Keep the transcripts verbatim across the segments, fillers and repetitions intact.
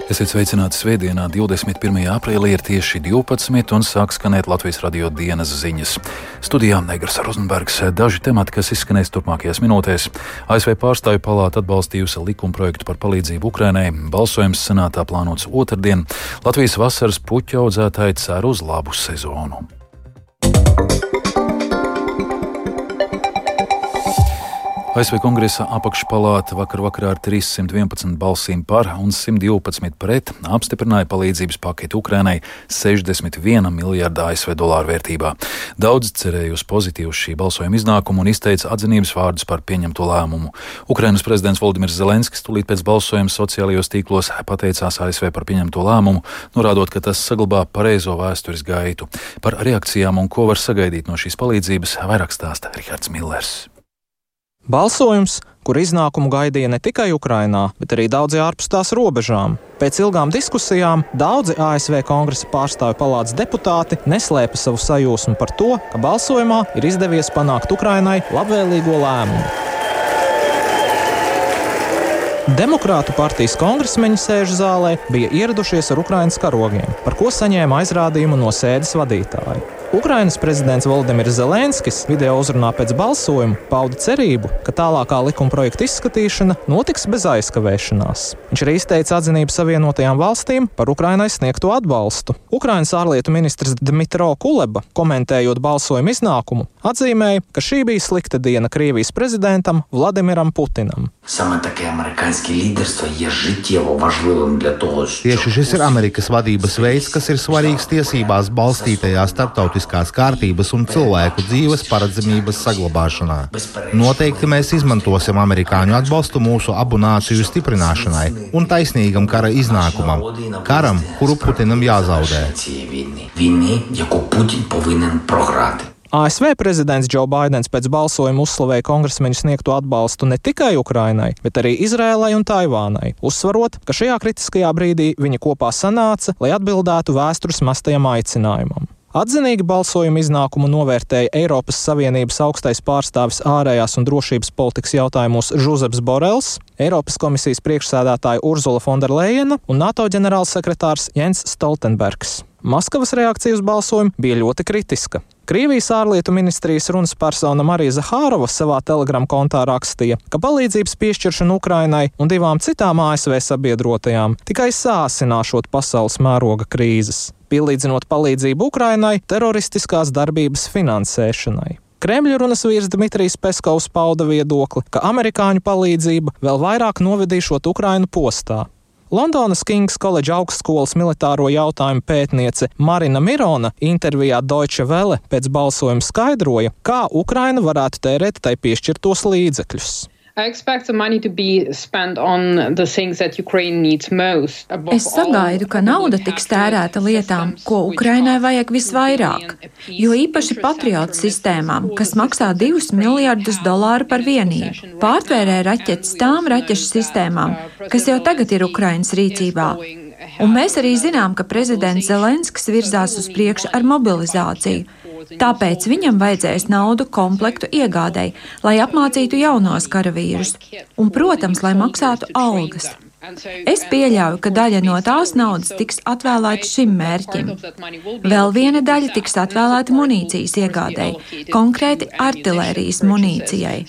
Esiet sveicināti svētdienā, divdesmit pirmajā aprīlī ir tieši divpadsmit un sāk skanēt Latvijas radio dienas ziņas. Studijā Negras Rozenbergs, daži temati, kas izskanēs turpmākajās minūtēs. A S V pārstāvju palāta atbalstījusi likumprojektu par palīdzību Ukrainai, balsojums senātā plānots otrdien. Latvijas vasaras puķu audzētāji cer uz labu sezonu. A S V Kongresa apakšpalāta vakar vakarā ar trīssimt vienpadsmit balsīm par un simt divpadsmit pret apstiprināja palīdzības paketi Ukrainai sešdesmit viena miljārda A S V dolāru vērtībā. Daudz cerēja uz pozitīvu šī balsojuma iznākumu un izteica atzinības vārdus par pieņemto lēmumu. Ukrainas prezidents Voldimirs Zelenskis tūlīt pēc balsojuma sociālajos tīklos pateicās A S V par pieņemto lēmumu, norādot, ka tas saglabā pareizo vēstures gaitu. Par reakcijām un ko var sagaidīt no šīs palīdzības vairāk stāsta Rihards Millers. Balsojums, kur iznākumu gaidīja ne tikai Ukrainā, bet arī daudzi ārpus tās robežām. Pēc ilgām diskusijām daudzi A S V Kongresa pārstāvju palātas deputāti neslēpa savu sajūsmu par to, ka balsojumā ir izdevies panākt Ukrainai labvēlīgo lēmumu. Demokrātu partijas kongresmeņi sēžu zālē bija ieradušies ar Ukrainas karogiem, par ko saņēma aizrādījumu no sēdes vadītāja. Ukrainas prezidents Voldimirs Zelenskis video uzrunā pēc balsojuma pauda cerību, ka tālākā likumprojekta izskatīšana notiks bez aizkavēšanās. Viņš arī izteica atzinību Savienotajām valstīm par Ukrainai sniegto atbalstu. Ukrainas ārlietu ministrs Dmitro Kuleba, komentējot balsojuma iznākumu, atzīmēja, ka šī bija slikta diena Krievijas prezidentam Vladimiram Putinam. Tieši šis ir Amerikas vadības veids, kas ir svarīgs tiesībās balstītajā starptautiskās kārtības un cilvēku dzīves paredzamības saglabāšanā. Noteikti mēs izmantosim amerikāņu atbalstu mūsu abu nāciju stiprināšanai un taisnīgam kara iznākumam, karam, kuru Putinam jāzaudē. A S V prezidents Džo Baidens pēc balsojuma uzslavēja kongresmeņu sniegto atbalstu ne tikai Ukrainai, bet arī Izrēlai un Taivānai, uzsvarot, ka šajā kritiskajā brīdī viņi kopā sanāca, lai atbildētu vēstures mastajam aicinājumam. Atzinīgi balsojuma iznākumu novērtēja Eiropas Savienības augstais pārstāvis ārējās un drošības politikas jautājumos Žuzeps Borels, Eiropas komisijas priekšsēdētāja Urzula Fonderlejena un NATO ģenerālsekretārs Jens Stoltenbergs. Maskavas reakcija uz balsojumu bija ļoti kritiska. Krievijas ārlietu ministrijas runas persona Marija Zahārova savā Telegram kontā rakstīja, ka palīdzības piešķiršana Ukrainai un divām citām A S V sabiedrotajām tikai sāsināšot pasaules mēroga krīzes, pielīdzinot palīdzību Ukrainai teroristiskās darbības finansēšanai. Kremļa runas vīrs Dmitrijs Peskovs pauda viedokli, ka amerikāņu palīdzība vēl vairāk novedīšot Ukrainu postā. Londonas Kings College augstskolas militāro jautājumu pētniece Marina Mirona intervijā Deutsche Welle pēc balsojuma skaidroja, kā Ukraina varētu tērēt tai piešķirtos līdzekļus. Es sagaidu, ka nauda tiks tērēta lietām, ko Ukrainai vajag visvairāk, jo īpaši patriotu sistēmām, kas maksā divus miljardus dolāru par vienību. Pārtvērē raķetes tām raķešu sistēmām, kas jau tagad ir Ukrainas rīcībā. Un mēs arī zinām, ka prezidents Zelenskis virzās uz priekšu ar mobilizāciju. Tāpēc viņam vajadzēs naudu komplektu iegādei, lai apmācītu jaunos karavīrus un, protams, lai maksātu algas. Es pieļauju, ka daļa no tās naudas tiks atvēlēta šim mērķim. Vēl viena daļa tiks atvēlēta munīcijas iegādei, konkrēti artilērijas munīcijai.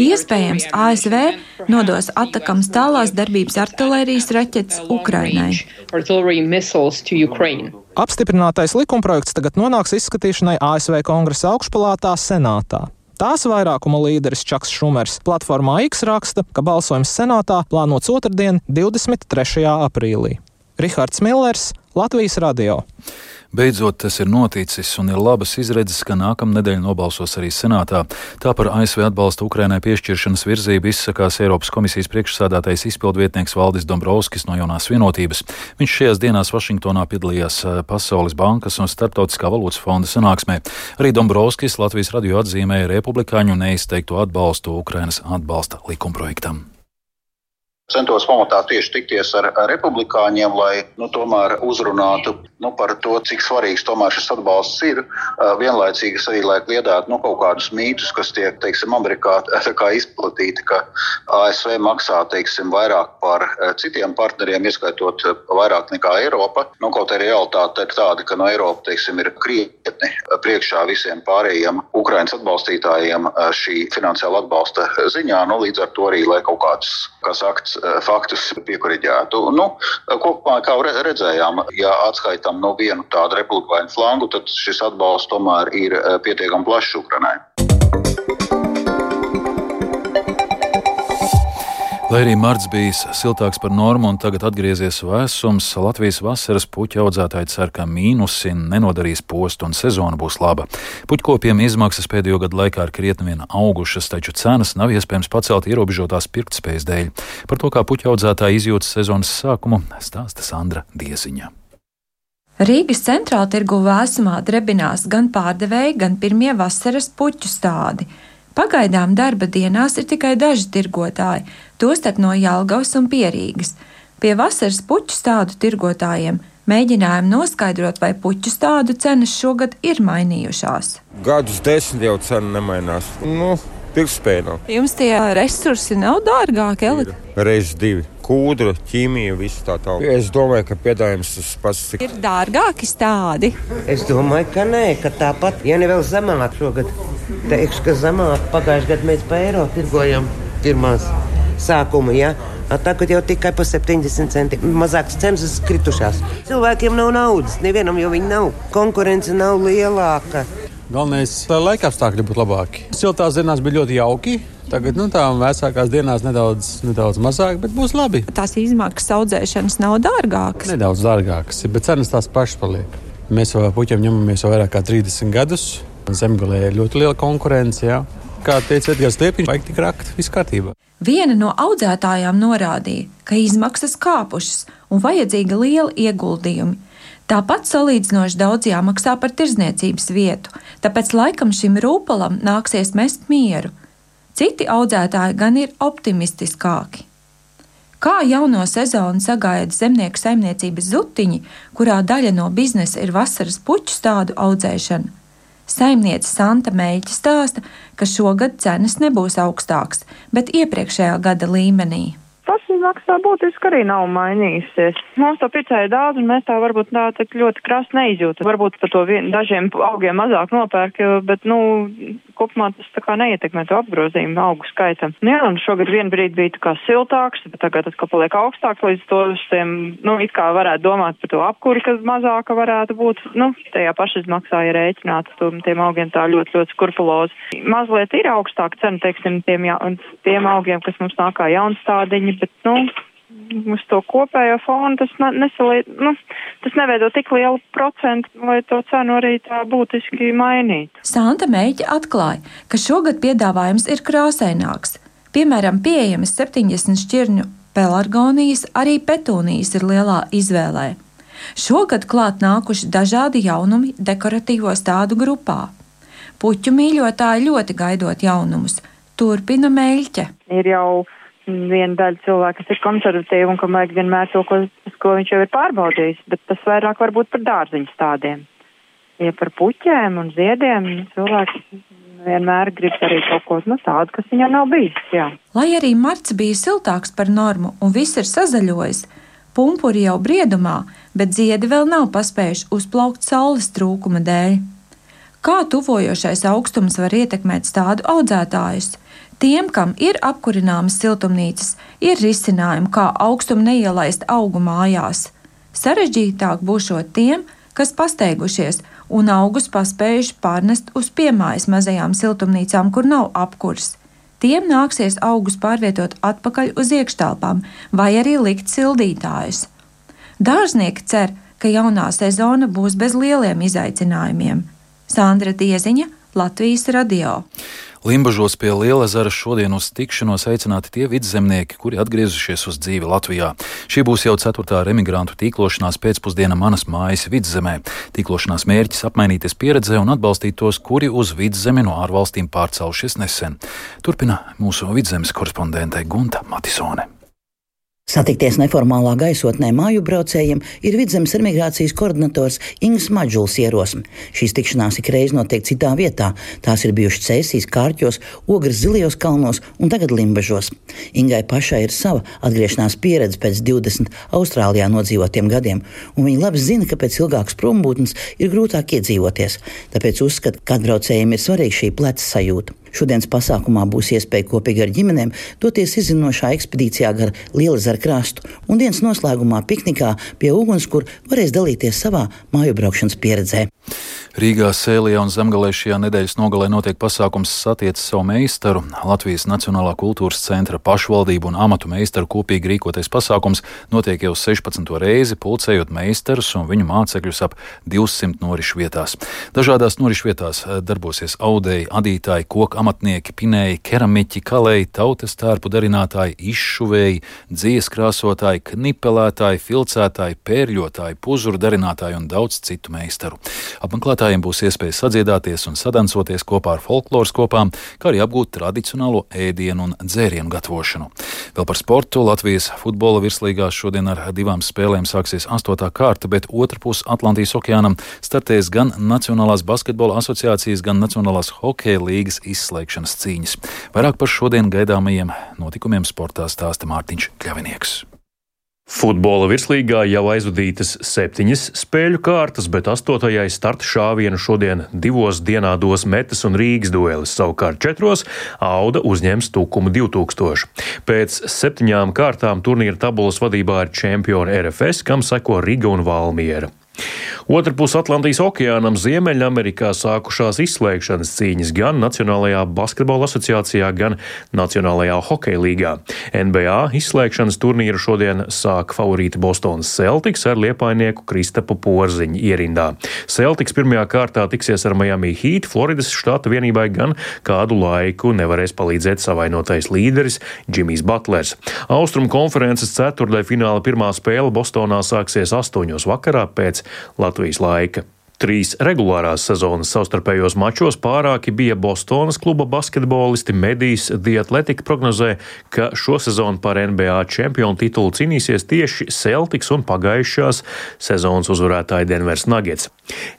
Iespējams, A S V nodos atakams tālās darbības artilērijas raķetes Ukrainai. Apstiprinātais likumprojekts tagad nonāks izskatīšanai A S V Kongresa augšpalātā senātā. Tās vairākuma līderis Čaks Šumers platformā X raksta, ka balsojums senātā plānots otrdien, divdesmit trešajā aprīlī. Rihards Millers, Latvijas radio. Beidzot, tas ir noticis un ir labas izredzes, ka nākamnedēļ nobalsos arī senātā. Tā par A S V atbalstu Ukrainai piešķiršanas virzību izsakās Eiropas komisijas priekšsēdētājs izpildvietnieks Valdis Dombrovskis no Jaunās vienotības. Viņš šajās dienās Vašingtonā piedalījās Pasaules bankas un Starptautiskā valūtas fonda sanāksmē. Arī Dombrovskis Latvijas radio atzīmēja republikāņu neizteikto atbalstu Ukrainas atbalsta likumprojektam. centos pamatā tieši tikties ar republikāņiem, lai nu, tomēr uzrunātu nu, par to, cik svarīgs tomēr šis atbalsts ir. Vienlaicīgi arī, lai kliedētu nu, kaut kādus mītus, kas tiek, teiksim, Amerikā kā izplatīti, ka A S V maksā, teiksim, vairāk par citiem partneriem, ieskaitot vairāk nekā Eiropa. Nu, kaut arī realitāte ir tāda, ka no Eiropa, teiksim, ir krietni priekšā visiem pārējiem Ukrainas atbalstītājiem šī finansiāla atbalsta ziņā, nu, līdz ar to arī, lai kaut kādus, kā sakts, faktus piekoriģētu. Nu, kopumā, kā redzējām, ja atskaitām no vienu tādu republikāņu flangu, tad šis atbalsts tomēr ir pietiekami plašs Ukrainai. Lai arī marts bijis siltāks par normu un tagad atgriezies vēsums, Latvijas vasaras puķu audzētāji cer, ka mīnusi nenodarīs postu un sezona būs laba. Puķkopiem izmaksas pēdējo gadu laikā ir krietni vien augušas, taču cenas nav iespējams pacelt ierobežotās pirktspējas dēļ. Par to, kā puķu audzētāji izjūtas sezonas sākumu, stāsta Sandra Dieziņa. Rīgas centrāla tirgu vēsumā drebinās gan pārdevēji, gan pirmie vasaras puķu stādi. Pagaidām darba dienās ir tikai daži tirgotāji, tostarp no Jelgavas un Pierīgas. Pie vasaras puķu stādu tirgotājiem mēģinājām noskaidrot, vai puķu stādu cenas šogad ir mainījušās. Gadus desmit jau cena nemainās. Nu, pirktspēja nav. Jums tie resursi nav dārgāki, Elita? Reiz divi. Kūdra, ķīmija, visu tā tālāk. Es domāju, ka piedāvājums tas pats cik. Ir dārgāki stādi? Es domāju, ka nē, ka tāpat, ja ne vēl zemāk šogad. Teikšu, ka zemāk pagājušajā gadā mēs pa eiro tirgojam pirmās sākuma, ja? Tagad jau tikai pa septiņdesmit centi. Mazākas cenas kritušās. Cilvēkiem nav naudas, nevienam jau viņi nav. Konkurence nav lielāka. Galvenais, lai laika apstākļi būtu labāki. Siltās dienās bija ļoti jauki. Tagad nu, tā vēsākās dienās nedaudz, nedaudz mazāk, bet būs labi. Tās izmaksas audzēšanas nav dārgākas? Nedaudz dārgākas, bet cenas tās pašas paliek. Mēs jau puķiem ņemamies jau vairāk kā trīsdesmit gadus. Zemgalē ir ļoti liela konkurence. Jā. Kā teica Edgars Liepiņš, vajag tik rakt, viss kārtībā. Viena no audzētājām norādīja, ka izmaksas kāpušas un vajadzīga liela ieguldījumi. Tāpat salīdzinoši daudz jāmaksā par tirdzniecības vietu, tāpēc laikam šim rūpalam nāksies mest mieru. Citi audzētāji gan ir optimistiskāki. Kā jauno sezonu sagaida zemnieku saimniecības Zutiņi, kurā daļa no biznesa ir vasaras puķu stādu audzēšana? Saimniece Santa Meļķa stāsta, ka šogad cenas nebūs augstākas, bet iepriekšējā gada līmenī. Tas maksā būtiski arī nav mainījusies. Mums to pircēja daudz, un mēs tā varbūt tā tik ļoti krasi neizjūtam. Varbūt par to vien, dažiem augiem mazāk nopērk, bet, nu, kopumā tas tā kā neietekmē to apgrozījumu augu skaitam. Nu, jā, un šogad vien brīdi bija tā kā siltāks, bet tagad tas kā paliek augstāks, līdz to tiem, nu, it kā varētu domāt par to apkuri, kas mazāka varētu būt. Nu, tajā pašizmaksā ir rēķināts tiem augiem tā ļoti, ļoti skurpulozi. Mazliet ir augstāka cena, teiksim, tiem, ja, tiem augiem, kas mums nāk kā jaunstādiņi, bet, nu, uz to kopējo fonu tas, nesalī, nu, tas neveido tik lielu procentu, lai to cenu arī tā būtiski mainītu. Santa Meļķa atklāja, ka šogad piedāvājums ir krāsaināks. Piemēram, pieejamas septiņdesmit šķirņu pelargonijas, arī petūnijas ir lielā izvēlē. Šogad klāt nākuši dažādi jaunumi dekoratīvo stādu grupā. Puķu mīļotāji ļoti gaidot jaunumus. Turpina Meļķe. Ir jau viena daļa cilvēka, kas ir konservatīva un kam vajag vienmēr to, ko, ko viņš jau ir pārbaudījis, bet tas vairāk varbūt par dārziņu stādiem. Ja par puķēm un ziediem cilvēks vienmēr grib arī kaut ko no tādu, kas viņam nav bijis. Jā. Lai arī marts bija siltāks par normu un viss ir sazaļojis, pumpuri jau briedumā, bet ziedi vēl nav paspējuši uzplaukt saules trūkuma dēļ. Kā tuvojošais augstums var ietekmēt stādu audzētājus? Tiem, kam ir apkurināmas siltumnīcas, ir risinājumi, kā augstumu neielaist augu mājās. Sarežģītāk būšot tiem, kas pasteigušies un augus paspējuši pārnest uz piemājas mazajām siltumnīcām, kur nav apkurs. Tiem nāksies augus pārvietot atpakaļ uz iekštelpām vai arī likt sildītājus. Dārznieki cer, ka jaunā sezona būs bez lieliem izaicinājumiem. Sandra Dieziņa, Latvijas radio. Limbažos pie Lielezera šodien uz tikšanos aicināti tie vidzemnieki, kuri atgriezušies uz dzīvi Latvijā. Šī būs jau ceturtā remigrantu tīklošanās pēcpusdiena Manas mājas vidzemē. Tīklošanās mērķis apmainīties pieredzē un atbalstīt tos, kuri uz vidzemi no ārvalstīm pārcēlušies nesen. Turpina mūsu vidzemes korespondente Gunta Matisone. Satikties neformālā gaisotnē māju braucējiem ir Vidzemes emigrācijas koordinators Ingis Madžuls ierosme. Šīs tikšanās ikreiz notiek citā vietā. Tās ir bijušas Cēsīs, Kārķos, Ogres Zilijos kalnos un tagad Limbažos. Ingai pašai ir sava atgriešanās pieredze pēc divdesmit Austrālijā nodzīvotiem gadiem, un viņa labi zina, ka pēc ilgākas prombūtnes ir grūtāk iedzīvoties. Tāpēc uzskata, ka atbraucējiem ir svarīga šī pleca sajūta. Šodienas pasākumā būs iespēja kopīgi ar ģimenēm doties izzinošā ekspedīcijā gar Lielezaru krastu un dienas noslēgumā piknikā pie uguns, kur varēs dalīties savā māju braukšanas pieredzē. Rīgā, Sēlijā un Zemgalē šajā nedēļas nogalē notiek pasākums Satiec savu meistaru. Latvijas Nacionālā kultūras centra pašvaldību un amatu meistaru kopīgi rīkotais pasākums notiek jau sešpadsmito reizi, pulcējot meistarus un viņu mācekļus ap divsimt norišu vietās. Dažādās norišu vietās darbosies audēji, adītāji, koku amatnieki, pinēji, keramiķi, kalēji, tautas tērpu darinātāji, izšuvēji, dzijas krāsotāji, knipelētāji, filcētāji, pērļotāji, puzuru darinātāji un daudz citu meistaru. Apmeklētājiem būs iespēja sadziedāties un sadancoties kopā ar folkloras kopām, kā arī apgūt tradicionālo ēdienu un dzērienu gatavošanu. Vēl par sportu. Latvijas futbola virslīgās šodien ar divām spēlēm sāksies astotā kārta, bet otrpus Atlantijas okeānam startēs gan Nacionālās basketbola asociācijas, gan Nacionālās hokeja līgas izslēgšanas cīņas. Vairāk par šodien gaidāmajiem notikumiem sportā stāsta Mārtiņš Kļavinieks. Futbola virslīgā jau aizvadītas septiņas spēļu kārtas, bet astotajai starta šāvienu šodien divos dienā dos Metas un Rīgas duelis, savukārt četros Auda uzņems Tukumu divi tūkstoši. Pēc septiņām kārtām turnīra tabulas vadībā ir čempioni R F S, kam seko Riga un Valmiera. Otrpus Atlantijas okeānam Ziemeļamerikā sākušās izslēgšanas cīņas gan Nacionālajā basketbola asociācijā, gan Nacionālajā hokeja līgā. N B A izslēgšanas turnīru šodien sāk favorīti Bostonas Celtics ar liepainieku Kristapu Porziņu ierindā. Celtics pirmajā kārtā tiksies ar Miami Heat, Floridas štata vienībai gan kādu laiku nevarēs palīdzēt savainotais līderis Jimmijs Butlers. Austrumu konferences ceturtdaļfināla pirmā spēle Bostonā sāksies astoņos vakarā pēc Latvijas laika. Trīs regulārās sezonas savstarpējos mačos pārāki bija Bostonas kluba basketbolisti. Medijs The Athletic prognozē, ka šo sezonu par N B A čempionu titulu cīnīsies tieši Celtics un pagājušās sezonas uzvarētāji Denvers Nuggets.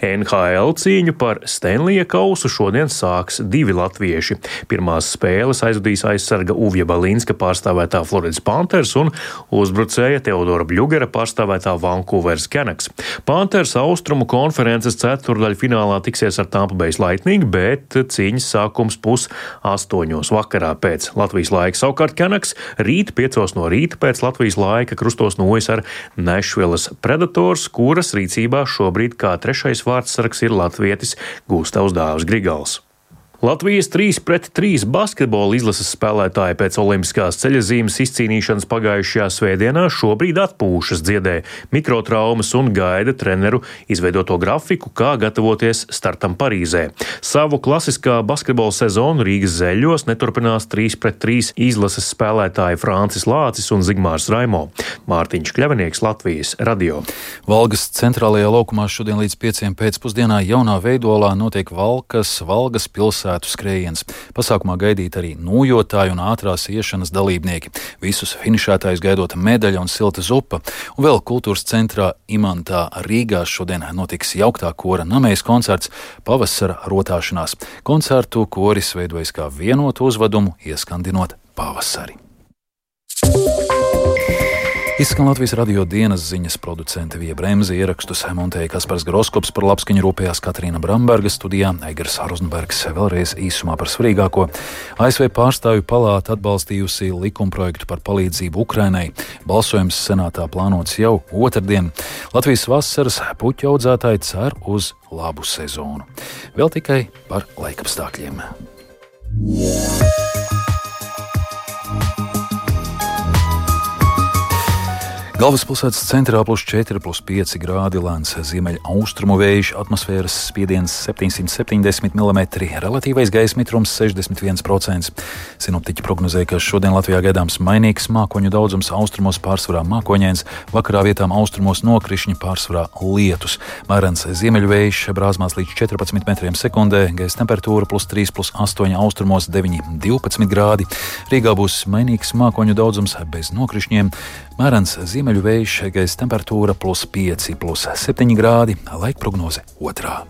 N H L cīņu par Stanleya kausu šodien sāks divi latvieši. Pirmās spēles aizvadīs aizsarga Uvja Balinska pārstāvētā Floridas Panthers un uzbrucēja Teodora Bļugera pārstāvētā Vancouveras Canucks. Panthers austrumu konferences ceturtdaļfinālā tiksies ar Tampa Bay Lightning, bet cīņas sākums pus astoņos vakarā pēc Latvijas laika. Savukārt Canucks rīt piecos no rīta pēc Latvijas laika krustos nojas ar Nešvilas Predators, kuras rīcībā šobrīd kā trešais vārdsargs ir latvietis Gustavs Dāvis Grigals. Latvijas trīs pret trīs basketbola izlases spēlētāji pēc olimpiskās ceļazīmes izcīnīšanas pagājušajā svētdienā šobrīd atpūšas, dziedē mikrotraumas un gaida treneru izveidoto grafiku, kā gatavoties startam Parīzē. Savu klasiskā basketbola sezonu Rīgas Zeļos neturpinās trīs pret trīs izlases spēlētāji Francis Lācis un Zigmārs Raimo. Mārtiņš Kļavinieks, Latvijas radio. Valgas centrālajā laukumā šodien līdz pieciem pēcpusdienā jaunā veidolā notiek Valkas, Valgas pilsētas skrējiens. Pasākumā gaidīt arī nūjotāji un ātrās iešanas dalībnieki. Visus finišētājus gaidot medaļa un silta zupa. Un vēl kultūras centrā Imantā Rīgā šodien notiks jauktā kora namējas koncerts Pavasara rotāšanās. Koncertu koris veidojas kā vienotu uzvedumu, ieskandinot pavasari. Izskan Latvijas radio dienas ziņas, producente Vija Bremze, ierakstus montēja Kaspars Groskops, par labskaņu rūpējās Katrīna Bramberga, studijā Eigars Rozenbergs. Vēlreiz īsumā par svarīgāko. A S V pārstāvju palāta atbalstījusi likumprojektu par palīdzību Ukrainai. Balsojums senātā plānots jau otrdien. Latvijas vasaras puķu audzētāji cer uz labu sezonu. Vēl tikai par laikapstākļiem. Galvaspilsētas centrā plus četri, plus pieci grādi, lēns ziemeļa austrumu vējš, atmosfēras spiediens septiņsimt septiņdesmit milimetri, relatīvais gaisa mitrums sešdesmit viens procents. Sinoptiķi prognozē, ka šodien Latvijā gaidāms mainīgs mākoņu daudzums, austrumos pārsvarā mākoņains, vakarā vietām austrumos nokrišņi, pārsvarā lietus. Mērens ziemeļu vējš brāzmās līdz četrpadsmit metriem sekundē, gaisa temperatūra plus trīs, plus astoņi, austrumos deviņi, divpadsmit grādi. Rīgā būs mainīgs mākoņu daudzums bez nokrišņiem. Mērens ziemeļu vējš, gaisa temperatūra plus pieci, plus septiņi grādi, laika prognoze otrā.